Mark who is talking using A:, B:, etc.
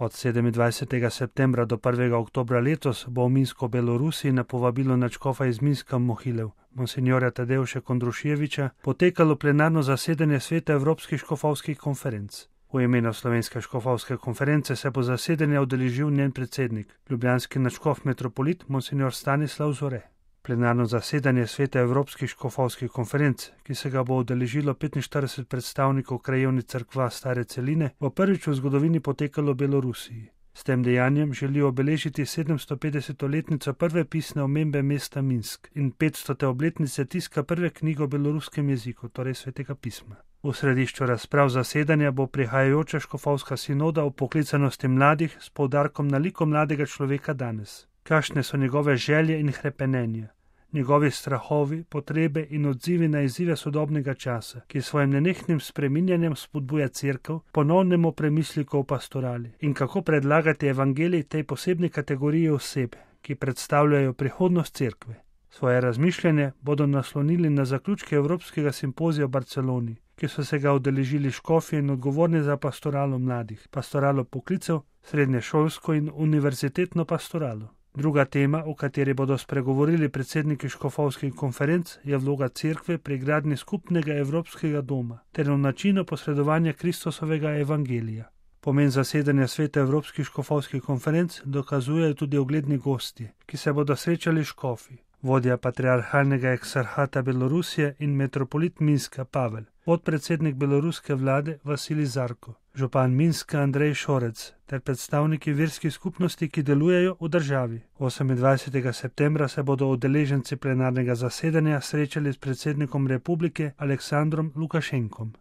A: Od 27. septembra do 1. oktobra letos bo v Minsku, Belorusiji, na povabilo nadškofa iz Minska Mohilev, monsinjorja Tadeuša Kondruševiča, potekalo plenarno zasedanje Sveta Evropskih škofovskih konferenc. V imenu Slovenske škofovske konference se bo zasedanja udeležil njen predsednik, ljubljanski nadškof metropolit monsinjor Stanislav Zore. Plenarno zasedanje Sveta Evropskih škofovskih konferenc, ki se ga bo udeležilo 45 predstavnikov krajevnih cerkva Stare celine, bo prvič v zgodovini potekalo v Belorusiji. S tem dejanjem želijo obeležiti 750-letnico prve pisne omembe mesta Minsk in 500. obletnice tiska prve knjige v beloruskem jeziku, torej Svetega pisma. V središču razprav zasedanja bo prihajajoča škofovska sinoda o poklicanosti mladih s poudarkom na liku mladega človeka danes. Kakšne so njegove želje in hrepenenja, njegovi strahovi, potrebe in odzivi na izzive sodobnega časa, ki svojim nenehnim spreminjanjem spodbuja cerkev ponovnemu premisliku o pastorali in kako predlagati evangelij tej posebni kategoriji oseb, ki predstavljajo prihodnost cerkve. Svoje razmišljanje bodo naslonili na zaključke Evropskega simpozija v Barceloni, ki so se ga udeležili škofje in odgovorni za pastoralo mladih, pastoralo poklicev, srednješolsko in univerzitetno pastoralo. Druga tema, o kateri bodo spregovorili predsedniki škofovskih konferenc, je vloga cerkve pri gradnji skupnega evropskega doma ter v načinu posredovanja Kristusovega evangelija. Pomen zasedanja Sveta Evropskih škofovskih konferenc dokazujejo tudi ugledni gostje, ki se bodo srečali škofi. Vodja patriarhalnega eksarhata Belorusije in metropolit Minska Pavel, podpredsednik beloruske vlade Vasilij Zarko, župan Minska Andrej Šorec ter predstavniki verskih skupnosti, ki delujejo v državi. 28. septembra se bodo udeleženci plenarnega zasedanja srečali s predsednikom republike Aleksandrom Lukašenkom.